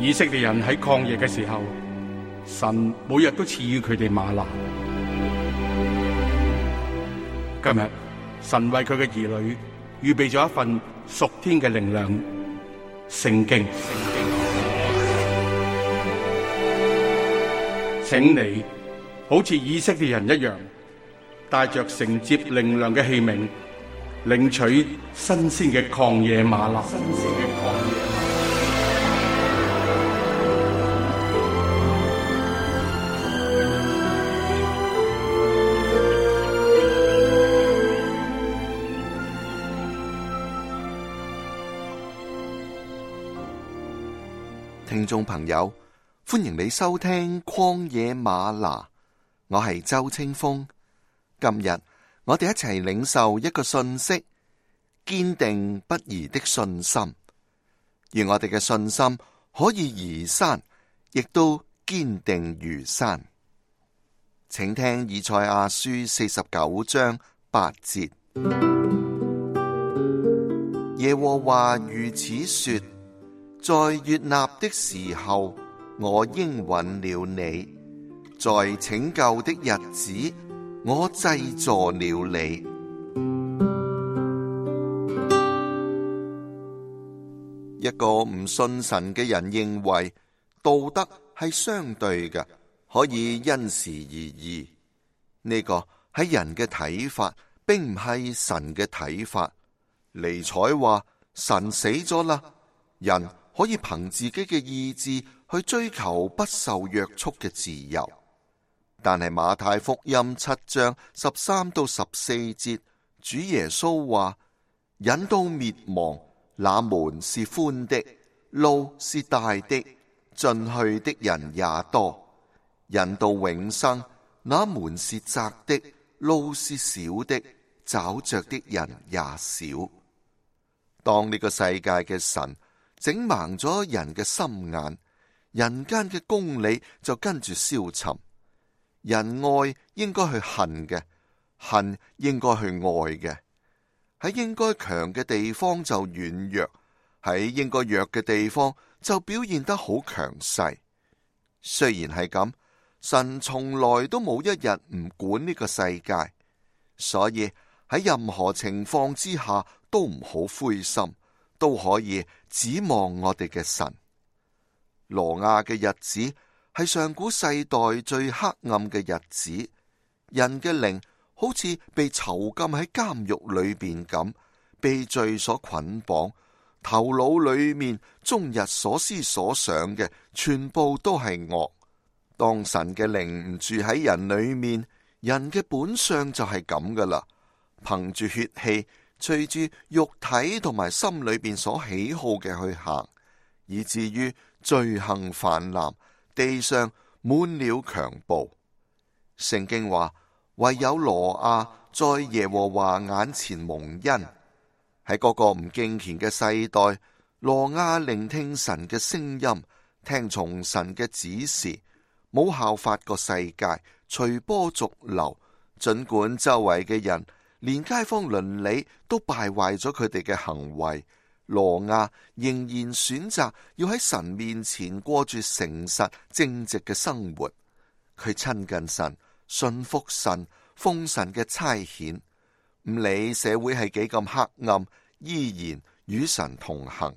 以色列人喺曠野嘅時候，神每日都賜予佢哋嗎哪。今日神為佢嘅兒女預備咗一份屬天嘅靈糧——聖經。請你好似以色列人一樣，帶着承接靈糧嘅器皿，領取新鮮嘅曠野嗎哪。聽眾朋友，歡迎你收聽曠野嗎哪，我係周清風。今日我哋一齊領受一個信息：堅定不移的信心。願我哋嘅信心可以移山，亦都堅定如山。請聽以賽亞書49章8節：耶和華如此說，在悅納的時候，我應允了你；在拯救的日子，我濟助了你。一個唔信神嘅人認為道德係相對嘅，可以因時而異。呢個係人嘅睇法，並唔係神嘅睇法。尼采話：神死咗啦，人可以憑自己嘅意志去追求不受約束嘅自由。但係馬太福音7章13到14節，主耶穌話：引到滅亡，那門是寬的，路是大的，進去的人也多；引到永生，那門是窄的，路是小的，找着的人也少。當呢個世界嘅神整盲咗人嘅心眼，人間嘅公理就跟住消沉。人愛應該去恨嘅，恨應該去愛嘅。喺應該強嘅地方就軟弱，喺應該弱嘅地方就表現得好強勢。雖然係咁，神從來都冇一日唔管呢個世界，所以喺任何情況之下都唔好灰心，都可以指望我哋嘅神。挪亞嘅日子係上古世代最黑暗嘅日子，人嘅靈好似被囚禁喺監獄裏邊咁，被罪所捆綁，頭腦裏面終日所思所想嘅全部都係惡。當神嘅靈唔住喺人裏面，人嘅本相就係咁噶啦，憑住血氣，隨住肉體同埋心裏邊所喜好嘅去行，以至於罪行泛濫，地上滿了強暴。聖經話，唯有挪亞在耶和華眼前蒙恩。喺嗰個唔敬虔嘅世代，挪亞聆聽神嘅聲音，聽從神嘅指示，冇效法個世界，隨波逐流。盡管周圍嘅人連街坊鄰里都敗壞咗佢哋嘅行為，挪亞仍然選擇要喺神面前過住誠實正直嘅生活。佢親近神，信服神，奉神嘅差遣，唔理社會係幾咁黑暗，依然與神同行。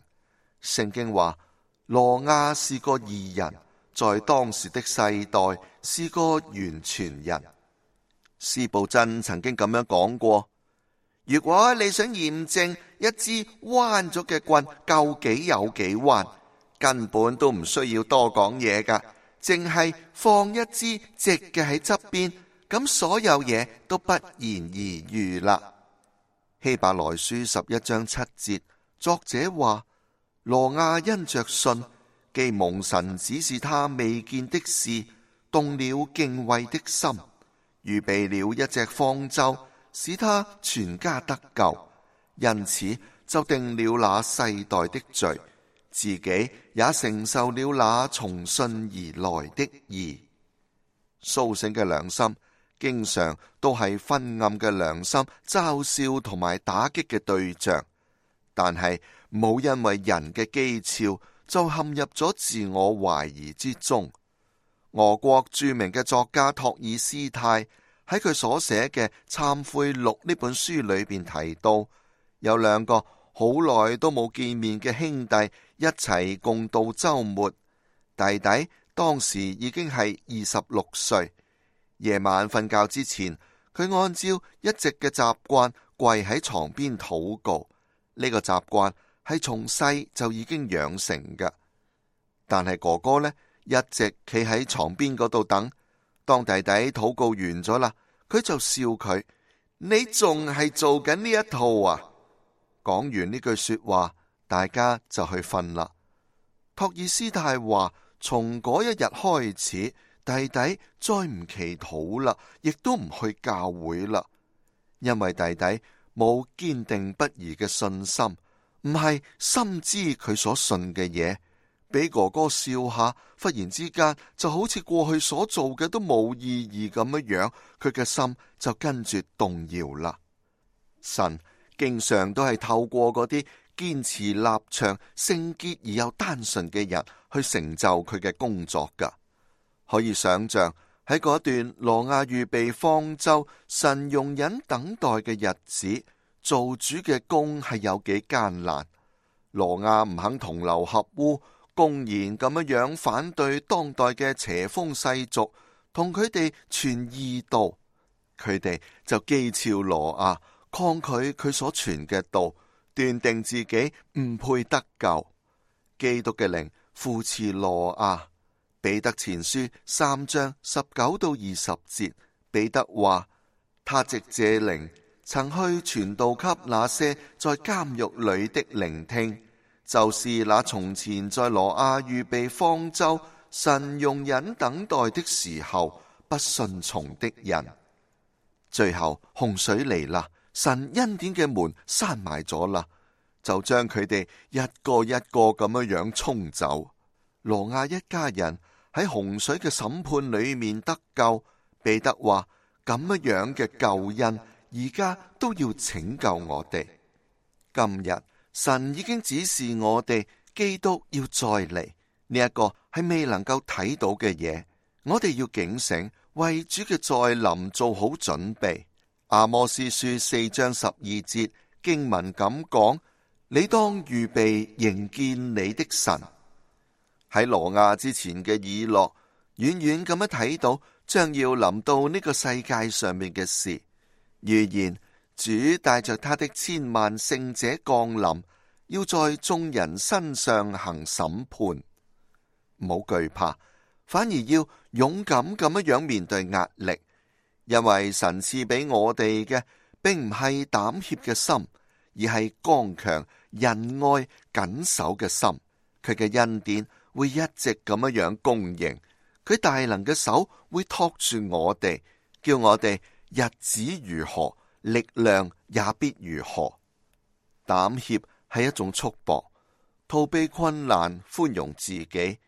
聖經話，挪亞是個義人，在當時的世代是個完全人。司布真曾經咁樣講過，如果你想驗證一支彎咗嘅棍究竟有幾彎，根本都唔需要多講嘢㗎，淨係放一支直嘅喺側邊，咁所有嘢都不言而喻啦。希伯來書11章7節，作者話，挪亞因着信，既蒙神指示他未見的事，動了敬畏的心，預備了一隻方舟，使他全家得救，因此就定了那世代的罪，自己也承受了那從信而來的義。蘇醒嘅良心經常都係昏暗嘅良心嘲笑同埋打擊嘅對象，但係冇因為人嘅譏誚就陷入咗自我懷疑之中。俄國著名嘅作家托爾斯泰喺佢所寫嘅《懺悔錄》呢本書裏邊提到，有兩個好耐都冇見面嘅兄弟一齊共度週末。弟弟當時已經係26歲，夜晚瞓覺之前，佢按照一直嘅習慣跪喺床邊禱告。呢個習慣係從細就已經養成嘅。但係哥哥呢，一直企喺床邊嗰度等，當弟弟禱告完咗啦，佢就笑佢：你仲係做緊呢一套啊？講完呢句說話，大家就去瞓啦。托爾斯泰話，從嗰一日開始，弟弟再唔祈禱啦，亦都唔去教會啦，因為弟弟冇堅定不移嘅信心，唔係深知佢所信嘅嘢，俾哥哥笑下，忽然之間就好似過去所做嘅都冇意義咁樣，佢嘅心就跟住動搖啦。神經常都係透過嗰啲堅持立場、聖潔而又單純嘅人去成就佢嘅工作噶。可以想象喺嗰段挪亞預備方舟、神容忍等待嘅日子，做主嘅工係有幾艱難。挪亞唔肯同流合污，公然咁樣反對當代嘅邪風世俗，同佢哋傳異道，佢哋就譏誚挪亞，抗拒佢所傳嘅道，斷定自己唔配得救。基督嘅靈扶持挪亞。彼得前書3章19到20節，彼得話：他藉這靈曾去傳道給那些在監獄裏的聆聽，就是那從前在挪亞預備方舟、神容忍等待的時候不順從的人。最後洪水嚟啦，神恩典嘅門閂埋咗啦，就將佢哋一個一個咁樣沖走。挪亞一家人喺洪水嘅審判裏面得救。彼得話：咁樣嘅救恩而家都要拯救我哋。今日神已經指示我哋，基督要再嚟，呢一個係未能夠睇到嘅嘢，我哋要警醒，為主嘅再臨做好準備。阿摩司書4章12節經文咁講：你當預備迎見你的神。喺挪亞之前嘅以諾，遠遠咁樣睇到將要臨到呢個世界上面嘅事，預言主帶着他的千萬聖者降臨，要在眾人身上行審判。唔好懼怕，反而要勇敢咁樣面對壓力，因為神賜俾我哋嘅並唔係膽怯嘅心，而係剛強、仁愛、謹守嘅心。佢嘅恩典會一直咁樣供應，佢大能嘅手會托住我哋，叫我哋日子如何，力量也必如何。膽怯係一種束縛，逃避困難，寬容自己，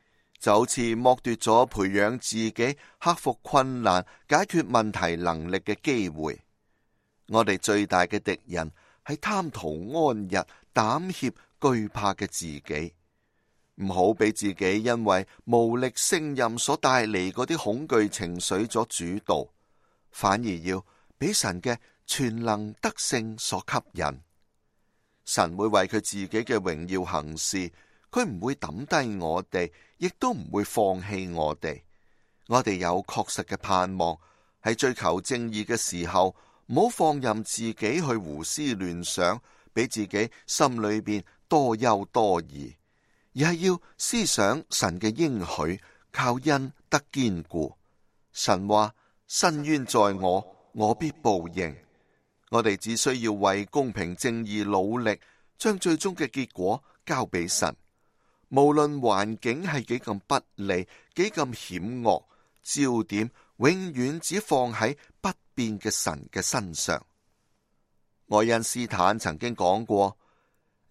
就好似剝奪咗培養自己克服困難、解決問題能力嘅機會。我哋最大嘅敵人係貪圖安逸、膽怯、懼怕嘅自己。唔好俾自己因為無力勝任所帶嚟嗰啲恐懼情緒所主導，反而要俾神嘅全能德性所吸引。神會為佢自己嘅榮耀行事，佢唔會抌低我哋，亦都唔會放棄我哋。我哋有確實嘅盼望，喺追求正義嘅時候，唔好放任自己去胡思亂想，俾自己心裏邊多憂多疑。而係要思想神嘅應許，靠恩得堅固。神話：伸冤在我，我必報應。我哋只需要為公平正義努力，將最終嘅結果交俾神。無論環境係幾咁不利，幾咁險惡，焦點永遠只放喺不變嘅神嘅身上。愛因斯坦曾經講過，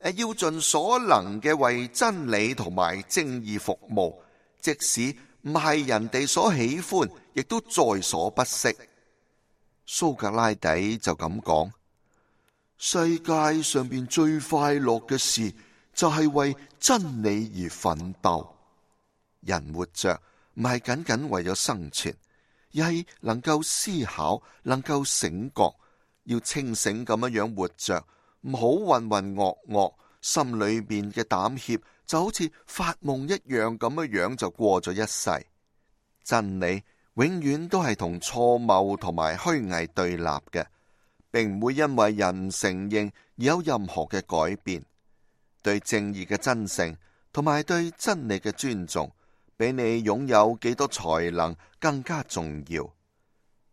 要盡所能嘅為真理同埋正義服務，即使唔係人哋所喜歡，亦都在所不惜。蘇格拉底就咁講：世界上邊最快樂嘅事，就係為真理而奮鬥。人活着唔係僅僅為咗生存，而係能夠思考，能夠醒覺，要清醒咁樣活着，唔好渾渾噩噩，心裏面嘅膽怯就好似發夢一樣咁樣就過咗一世。真理永遠都係同錯謬同埋虛偽對立嘅，並唔會因為人承認而有任何嘅改變。對正義嘅真誠同埋對真理嘅尊重，比你擁有幾多才能更加重要。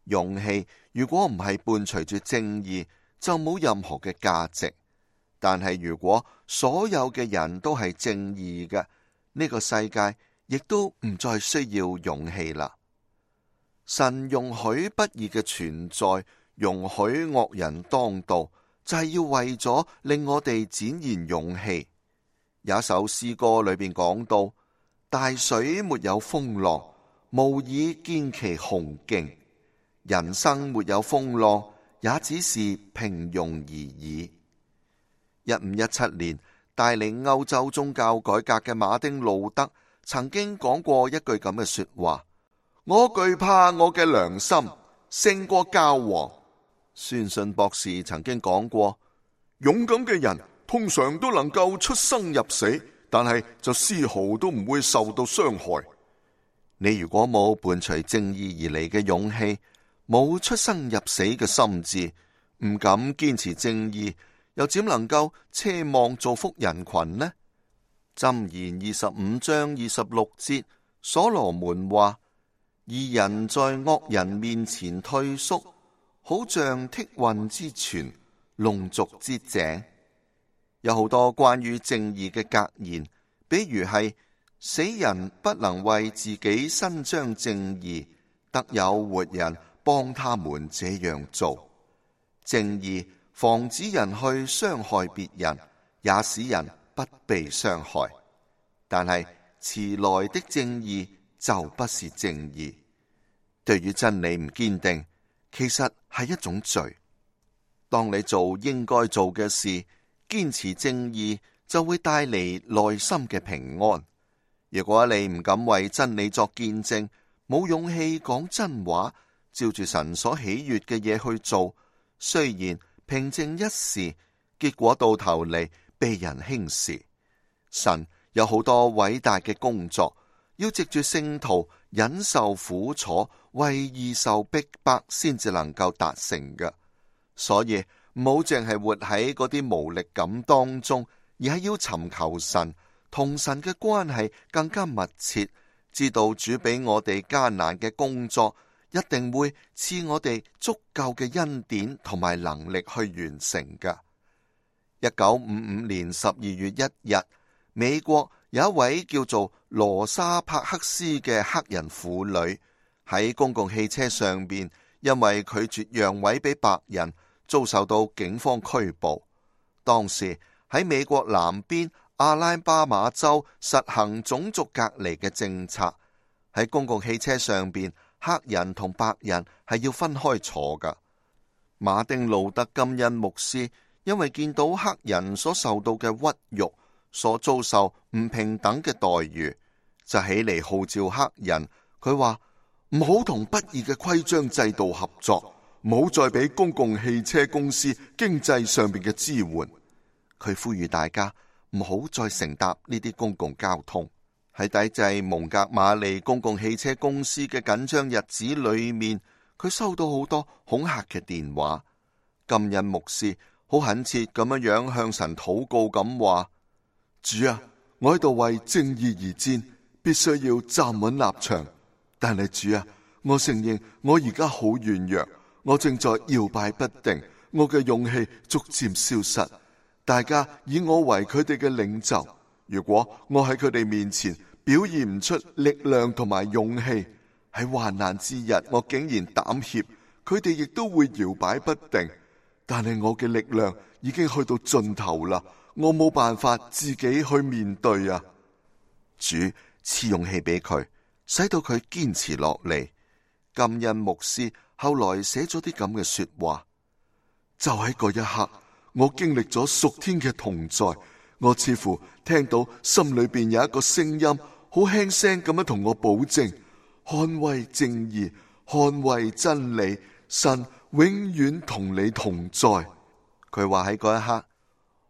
勇氣如果唔係伴隨住正義，就冇任何嘅價值。但係如果所有嘅人都係正義嘅，呢個世界亦都唔再需要勇氣啦。神容許不義嘅存在，容許惡人當道，就係要為咗令我哋展現勇氣。有一首詩歌裏邊講到，大水沒有風浪，無以見其雄勁。人生沒有風浪，也只是平庸而已。1517年帶領歐洲宗教改革嘅馬丁路德曾經講過一句咁嘅說話：我懼怕我嘅良心勝過教皇。宣信博士曾經講過，勇敢嘅人通常都能夠出生入死，但係就絲毫都唔會受到傷害。你如果冇伴隨正義而嚟嘅勇氣，冇出生入死嘅心智，唔敢堅持正義，又點能夠奢望造福人群呢？箴言25章26節，所羅門話：義人在惡人面前退縮，好像剔混之泉，弄濁之井。有好多關於正義嘅格言，比如係死人不能為自己伸張正義，得有活人幫他們這樣做。正義防止人去傷害別人，也使人不被傷害。但係遲來的正義就不是正義。對於真理唔堅定，其實係一種罪。當你做應該做嘅事，堅持正義，就會帶嚟內心嘅平安。如果你唔敢為真理作見證，冇勇氣講真話，照住神所喜悅嘅嘢去做，雖然平靜一時，結果到頭嚟被人輕視。神有好多偉大嘅工作，要藉住聖徒忍受苦楚，為義受逼迫，先至能夠達成嘅。所以唔好淨係活喺嗰啲無力感當中，而係要尋求神，同神嘅關係更加密切，知道主俾我哋艱難嘅工作，一定會賜我哋足夠嘅恩典同埋能力去完成嘅。1955年12月1日，美國有一位叫做羅莎帕克斯嘅黑人婦女喺公共汽車上邊，因為拒絕讓位俾白人，遭受到警方拘捕。當時喺美國南邊阿拉巴馬州實行種族隔離嘅政策，喺公共汽車上邊，黑人同白人係要分開坐噶。馬丁路德金恩牧師因為見到黑人所受到嘅屈辱，所遭受唔平等嘅待遇，就起嚟號召黑人。佢話唔好同不義嘅規章制度合作，唔好再俾公共汽車公司經濟上面嘅支援。佢呼籲大家唔好再乘搭呢啲公共交通。喺抵制蒙格馬利公共汽車公司嘅緊張日子裏面，佢收到好多恐嚇嘅電話。金恩牧師好懇切咁樣向神禱告咁話：主啊，我喺度為正義而戰，必須要站穩立場。但係主啊，我承認我而家好軟弱，我正在搖擺不定，我嘅勇氣逐漸消失。大家以我為佢哋嘅領袖，如果我喺佢哋面前表現唔出力量同埋勇氣，喺患難之日我竟然膽怯，佢哋亦都會搖擺不定。但係我嘅力量已經去到盡頭啦，我冇辦法自己去面對啊！主賜勇氣俾佢，使到佢堅持落嚟。金恩牧師後來寫咗啲咁嘅說話，就喺嗰一刻，我經歷咗屬天嘅同在，我似乎聽到心裏邊有一個聲音，好輕聲咁樣同我保證，捍衛正義，捍衛真理，神永遠同你同在。佢話喺嗰一刻，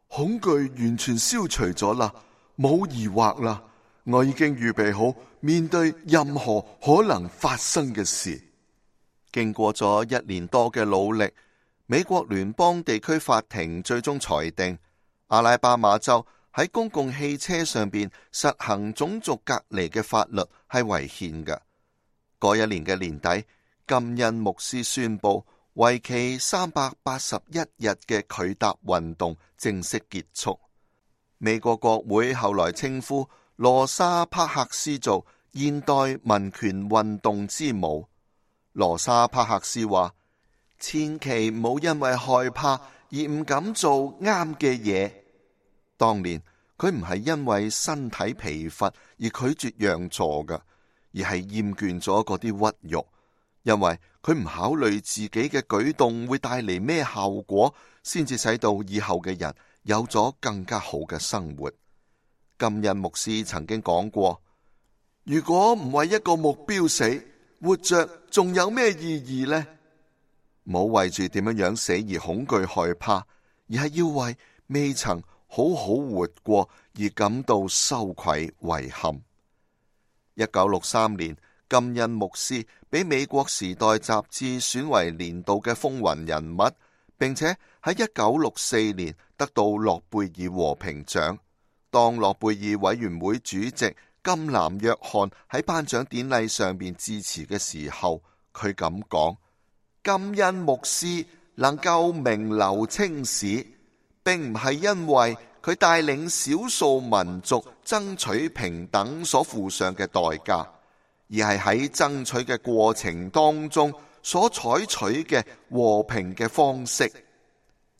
恐懼完全消除咗啦，冇疑惑啦，我已經預備好面對任何可能發生嘅事。經過咗1年多嘅努力，美國聯邦地區法庭最終裁定，阿拉巴馬州喺公共汽車上邊實行種族隔離嘅法律係違憲嘅。嗰一年嘅年底，金恩牧師宣布，為期381日嘅拒答運動正式結束。美國國會後來稱呼羅莎帕克斯做現代民權運動之母。羅莎帕克斯話：千祈唔好因為害怕而唔敢做啱嘅嘢。當年佢唔係因為身體疲乏而拒絕讓座嘅，而係厭倦咗嗰啲屈辱，因為佢唔考慮自己嘅舉動會帶嚟咩效果，先至使到以後嘅人有咗更加好嘅生活。金恩牧師曾經講過：如果唔為一個目標死，活着仲有咩意義呢？唔好為住點樣死而恐懼害怕，而係要為未曾好好活過而感到羞愧遺憾。1963年，金恩牧師俾美國時代雜誌選為年度嘅風雲人物，並且喺1964年得到諾貝爾和平獎。當諾貝爾委員會主席金南約翰喺頒獎典禮上邊致辭嘅時候，佢咁講：金恩牧師能夠名留青史，並唔係因為佢帶領少數民族爭取平等所付上嘅代價，而係喺爭取嘅過程當中所採取嘅和平嘅方式。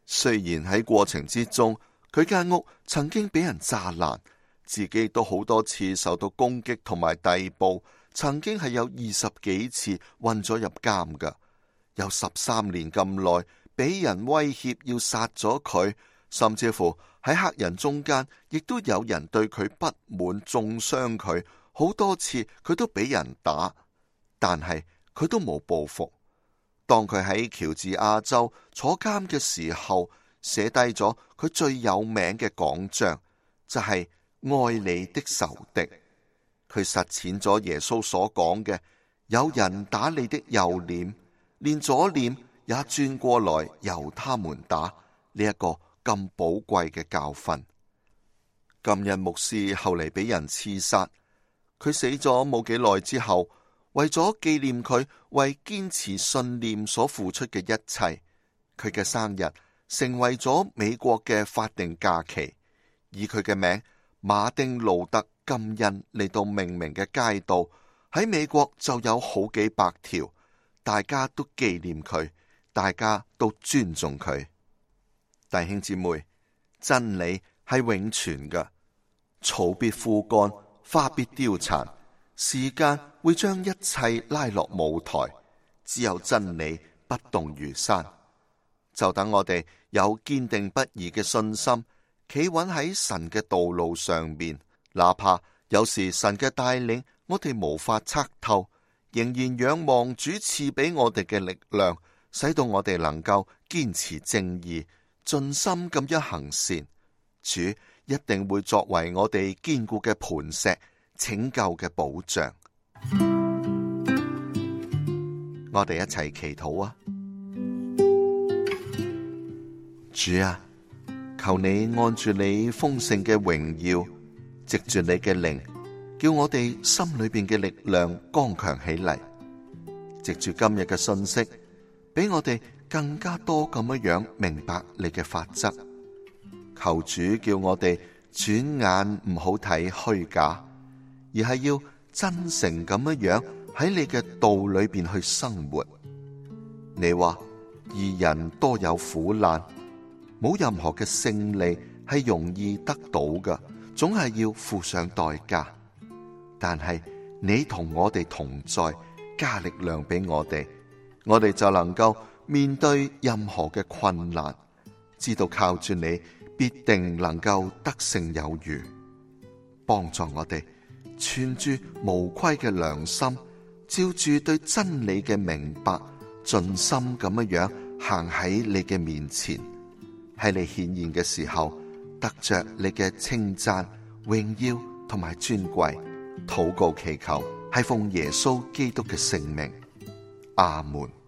雖然喺過程之中，佢間屋曾經俾人炸爛，自己都好多次受到攻擊同埋逮捕，曾經係有20幾次混咗入監㗎，有13年咁耐，俾人威脅要殺咗佢，甚至乎喺黑人中間，亦都有人對佢不滿，中傷佢，好多次佢都俾人打，但係佢都冇報復。當佢喺喬治亞州坐監嘅時候，寫低咗佢最有名嘅講章，就係愛你的仇敵。佢實踐咗耶穌所講嘅：有人打你的右臉，連左臉也轉過來由他們打。呢一個咁寶貴嘅教訓。金恩牧師後嚟俾人刺殺，佢死咗冇幾耐之後，為咗紀念佢為堅持信念所付出嘅一切，佢嘅生日成為咗美國嘅法定假期，以佢嘅名馬丁路德金恩嚟到命名嘅街道喺美國就有好幾百條，大家都紀念佢，大家都尊重佢。弟兄姊妹，真理係永存嘅，草必枯乾，花必凋殘，時間會將一切拉落舞台，只有真理不動如山。就等我哋有堅定不移嘅信心，企穩喺神嘅道路上面，哪怕有時神嘅帶領我哋無法測透，仍然仰望主賜俾我哋嘅力量，使到我哋能夠堅持正義，盡心咁樣行善。主一定會作為我哋堅固嘅磐石，拯救嘅保障。我哋一齊祈禱啊！主啊，求你按住你豐盛嘅榮耀，藉住你嘅靈，叫我哋心裏邊嘅力量剛強起嚟。藉住今日嘅信息，俾我哋更加多咁樣明白你嘅法則。求主叫我哋轉眼唔好睇虛假，而係要真誠咁樣喺你嘅道裏邊去生活。你話義人多有苦難，冇任何嘅勝利係容易得到嘅，總係要付上代價。但係你同我哋同在，加力量俾我哋就能夠面對任何嘅困難，知道靠住你必定能夠得勝有餘。幫助我哋存住無虧嘅良心，照住對真理嘅明白，盡心咁樣行喺你嘅面前，喺你顯現嘅時候，得着你嘅稱讚、榮耀同埋尊貴。禱告祈求係奉耶穌基督嘅聖名，阿門。